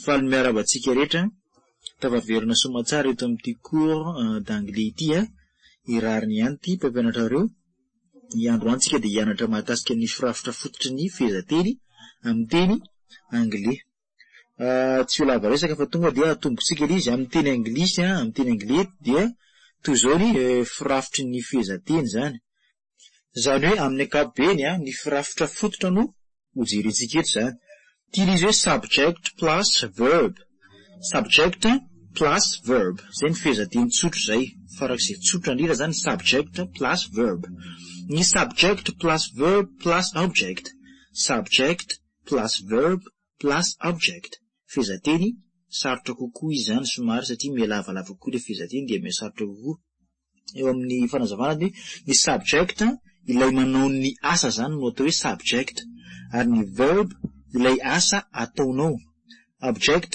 Faly miarahaba antsika rehetra tafaverina soamantsara eto amin'ity cours d'anglais ity a. I Rariny ihany ity mpampianatrareo. Ny androany tsika dia hianatra mahakasika ny firafitra fototry ny fehezanteny amin'ny teny anglais. Tsy ho lava resaka fa tonga dia atombotsika ilay izy amin'ny teny anglisy, amin'ny teny anglais dia toy izao ny firafitry ny fehezanteny izany. Izany hoe amin'ny ankapobeny ny firafitra fototra no hojerentsika eto izany. Ity ilay izy hoe subject plus verb. Subject plus verb. Izay ny fehezanteny tsotra izay. Farak'izay tsotra indrindra izany subject plus verb. Ny subject plus verb plus object. Subject plus verb plus object. Fehezanteny sarotra kokoa izy izany somary satria mihalavalava kokoa ilay fehezanteny dia mihasarotra kokoa. Eo amin'ny fanazavana dia ny subject ilay manao ny asa izany no atao hoe subject ary ny verb ilay asa ataonao. Object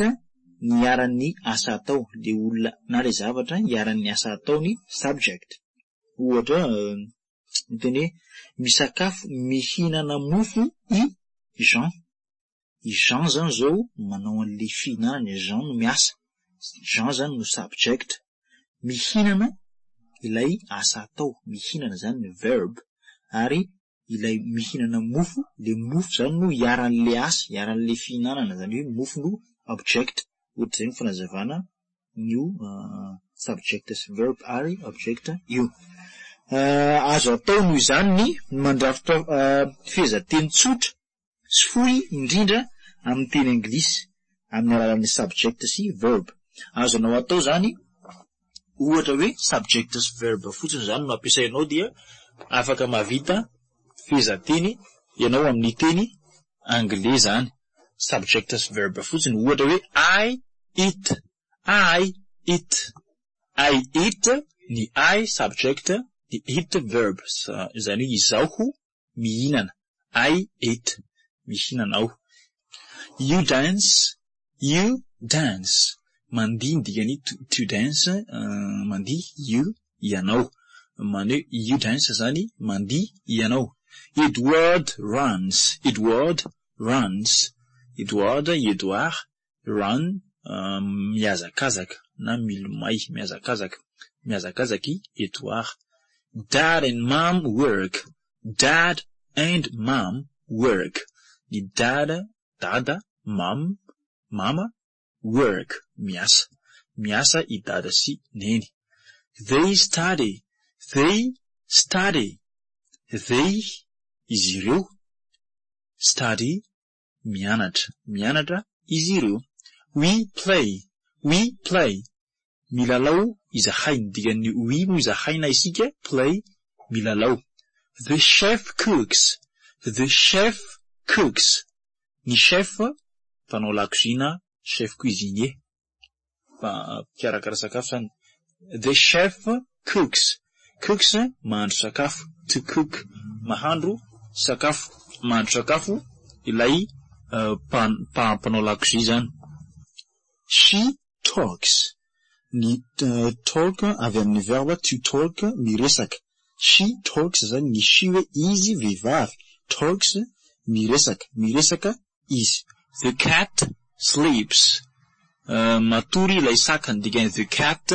ny iharan'ny asa atao, ilay olona na ilay zavatra iharan'ny asa atao ny subject. Ohatra miteny hoe misakafo mihinana mofo i Jean. I Jean zany zao manao an'ilay fihinanana, i Jean no miasa. Jean zany no subject. Mihinana ilay asa atao, mihinana zany ny verb ary ilay mihinana mofo, ilay mofo zany no iharan'ilay asa, iharan'ilay fihinanana, zany hoe mofo no object. Ohatr'izay ny fanazavana io subject sy verb ary object io. Azo atao noho izany ny mandrafitra fehezanteny tsotra sy fohy indrindra amin'ny teny anglisy amin'ny alalan'ny subject sy verb. Azonao atao izany ohatra hoe subject sy verb fotsiny izany no ampiasainao dia afaka mahavita fehezanteny ianao amin'ny teny anglais izany. Subject sy verb fotsiny ohatra hoe I eat, I eat, I eat ny I subject, ny eat verb, izany hoe izaho mihinana, I eat, mihinana aho. You dance, you dance, mandihy ny dikan'ny to dance, mandihy, you, ianao. Many hoe you dance izany mandihy ianao. Edward runs, Edward runs, Edward, i Edward, run, mihazakazaka na milomay, mihazakazaka, mihazakazaka i Edward. Dad and mom work, dad and mom work. Ny dad, dada, mom, mama, work, miasa. Miasa i dada sy neny. They study, they study. They, izy ireo, study, mianatra. Mianatra izy ireo. We play, we play. Milalao izahay. Ny dikan'ny we moa izahay na isika, play, milalao. The chef cooks, the chef cooks. Ny chef, mpanao lakozia chef cuisinier, mpikarakara sakafo zany. The chef cooks. Cooks mahandro sakafo. To cook, mahandro sakafo. Mahandro sakafo ilay mpanao lakozia zany. She talks. Ny talk avy amin'ny verbe to talk, miresaka. She talks zany ny she hoe izy vehivavy. Talks miresaka. Miresaka izy. The cat sleeps. Matory ilay saka. Ny dikan'ny the cat,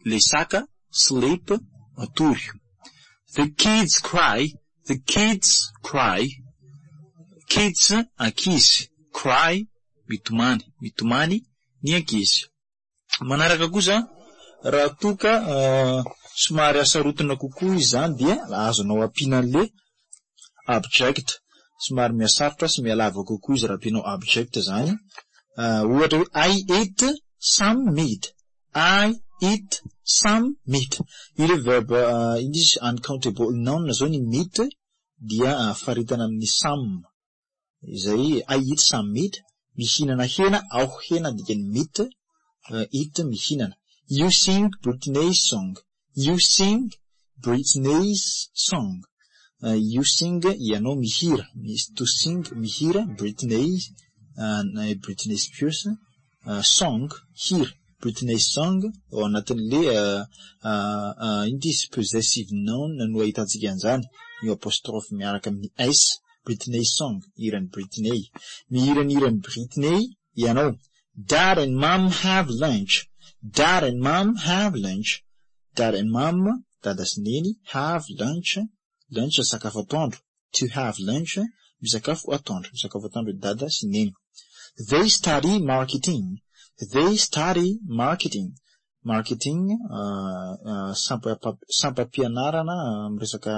ilay saka, sleep, matory. The kids cry. The kids cry. Kids, ankizy. Cry, mitomany. Mitomany ny ankizy. Manaraka kosa, raha toa ka somary asarotina kokoa izy izany dia azonao ampiana an'ilay object. Somary mihasarotra sy mihalava kokoa izy raha ampianao object izany. Ohatra hoe I eat some meat. I eat some meat. Io ilay verb ino izy uncountable noun zao ny meat dia faritana amin'ny some. Izay I eat some meat. Mihinana hena aho, hena dikan'ny meat, eat mihinana. You sing Britney's song. You sing Britney's song. You sing ianao mihira, to sing mihira, Britney, Britney Spears, song hira, Britney's song ao anatin'le ino ty izy possessive noun no ahitantsika an'izany, io apostrophe miaraka amin'ny s, Britney's song, hiran'i Britney. Mihira ny hiran'i Britney ianao. Dad and mom have lunch. Dad and mom have lunch. Dad and mom, dada sy neny, have lunch. Lunch sakafo atoandro. To have lunch, misakafo atoandro. Misakafo atoandro dada sy neny. They study marketing. They study marketing. Marketing, sampam-pianarana miresaka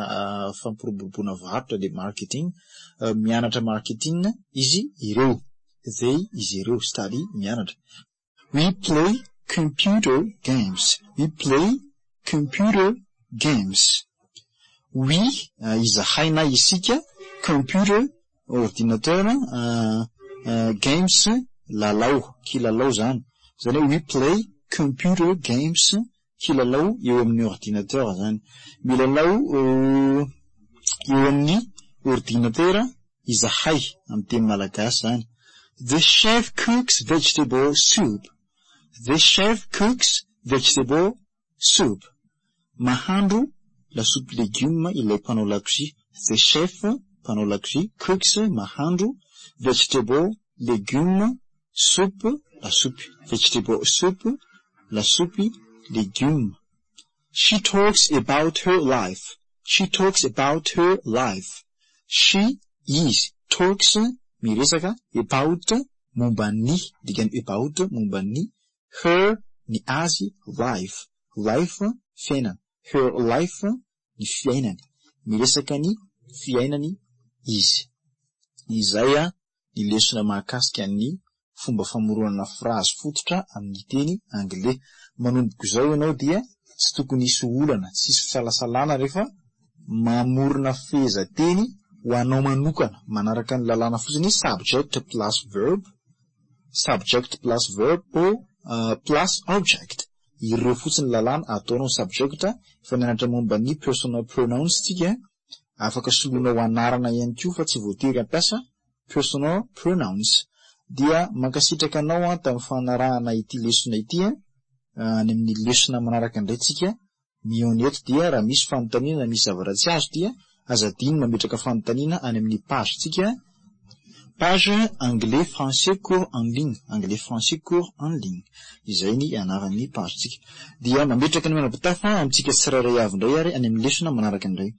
fampiroboroboana varotra dia marketing. Mianatra marketing izy ireo. They izy ireo. Study mianatra. We play computer games. We play computer games. We izahay na isika, computer ordinateur, games lalao, kilalao zany. Zany hoe we play computer games, kilalao eo amin'ny ordinateur zany. Milalao eo amin'ny ordinateur izahay amin'ny teny malagasy zany. The chef cooks vegetable soup. The chef cooks vegetable soup. Mahandro lasopy legioma ilay mpanao lakozia. The chef mpanao lakozia, cooks mahandro, vegetable legioma, soup lasopy. Vegetable soup lasopy legioma. She talks about her life. She talks about her life. She izy, talks miresaka, about momba ny, dikany about momba ny, her ny azy, life. Life fiainana. Her life ny fiainany. Miresaka ny fiainany izy. Izay ny lesona mahakasika ny fomba famoronana frazy fototra amin'ny teny anglais. Manomboka izao ianao dia tsy tokony hisy olana, tsy hisy fisalasalana rehefa mamorona fehezanteny ho anao manokana manaraka ny lalàna fotsiny subject plus verb, subject plus verb or plus object. Ireo fotsiny lalàna ataonao subject. Efa nianatra momba ny personal pronouns tsika, afaka soloinao anarana ihany koa fa tsy voatery hampiasa personal pronouns. Dia mankasitraka anao tamin'ny fanarahana ity lesona ity. Any amin'ny lesona manaraka indray tsika mihaona eto. Dia raha misy fanontaniana, misy zavatra tsy azo, dia aza adino mametraka fanontaniana any amin'ny page tsika, page anglais français cours en ligne, anglais français cours en ligne, izay ny anaran'ny page tsika. Dia mametraka ny manam-pitafa amintsika tsirairay avy indray ary any amin'ny lesona manaraka indray.